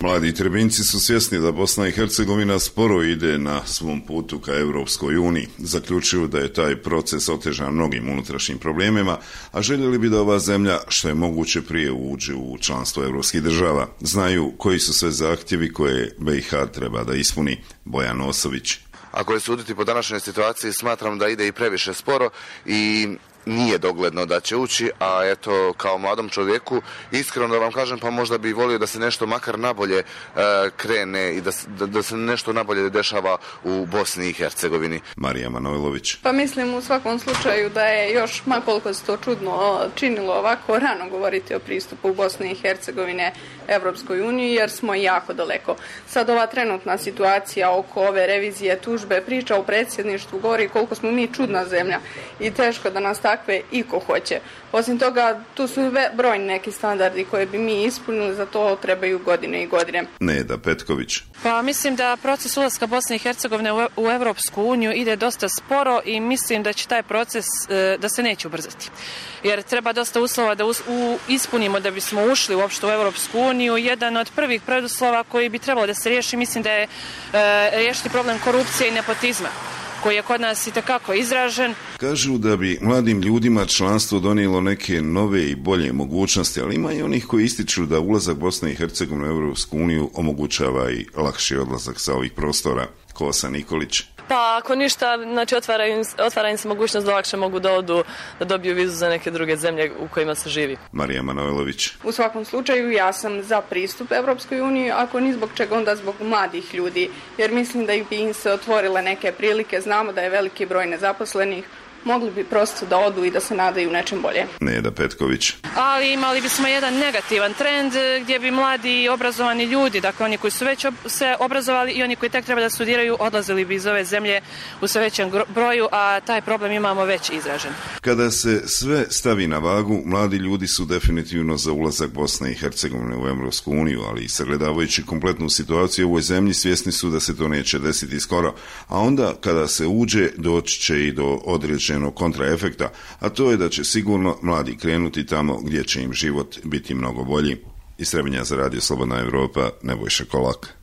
Mladi Trebinjci su svjesni da Bosna i Hercegovina sporo ide na svom putu ka Europskoj uniji. Zaključuju da je taj proces otežan mnogim unutrašnjim problemima, a željeli bi da ova zemlja što je moguće prije uđe u članstvo evropskih država. Znaju koji su sve zahtjevi koje BiH treba da ispuni. Bojan Osović. Ako je suditi po današnjoj situaciji, smatram da ide i previše sporo i nije dogledno da će ući, a eto, kao mladom čovjeku, iskreno da vam kažem, pa možda bi volio da se nešto makar nabolje krene i da se nešto nabolje dešava u Bosni i Hercegovini. Marija Manojlović. Pa mislim u svakom slučaju da je još, makoliko se to čudno činilo, ovako rano govoriti o pristupu Bosne i Hercegovine Evropskoj uniji, jer smo jako daleko. Sad ova trenutna situacija oko ove revizije tužbe, priča o predsjedništvu govori koliko smo mi čudna zemlja i teško da nas takve iko hoće. Osim toga, tu su brojni neki standardi koje bi mi ispunili, za to trebaju godine i godine. Neda Petković. Pa mislim da proces ulaska Bosne i Hercegovine u Evropsku uniju ide dosta sporo i mislim da će taj proces da se neće ubrzati. Jer treba dosta uslova da ispunimo da bismo ušli uopšte u Evropsku uniju. Jedan od prvih preduslova koji bi trebalo da se riješi, mislim da je riješiti problem korupcije i nepotizma, koji je kod nas itekako izražen. Kažu da bi mladim ljudima članstvo donijelo neke nove i bolje mogućnosti, ali ima i onih koji ističu da ulazak Bosne i Hercegovine u Europsku uniju omogućava i lakši odlazak sa ovih prostora. Kosa Nikolić. Pa ako ništa, znači otvara im se mogućnost da lakše mogu da odu, da dobiju vizu za neke druge zemlje u kojima se živi. Marija Manojlović. U svakom slučaju ja sam za pristup Evropskoj uniji, ako ni zbog čega, onda zbog mladih ljudi, jer mislim da bi im se otvorile neke prilike, znamo da je veliki broj nezaposlenih, mogli bi prosto da odu i da se nadaju nečem bolje. Neda Petković. Ali imali bismo jedan negativan trend gdje bi mladi i obrazovani ljudi, dakle oni koji su već se obrazovali i oni koji tek treba da studiraju, odlazili bi iz ove zemlje u sve većem broju, a taj problem imamo već izražen. Kada se sve stavi na vagu, mladi ljudi su definitivno za ulazak Bosne i Hercegovine u Evropsku uniju, ali i sagledavajući kompletnu situaciju u ovoj zemlji, svjesni su da se to neće desiti skoro, a onda kada se uđe, doći će i do određenog kontraefekta, a to je da će sigurno mladi krenuti tamo gdje će im život biti mnogo bolji. Iz Trebinja za radio Slobodna Evropa, Nebojša Kolak.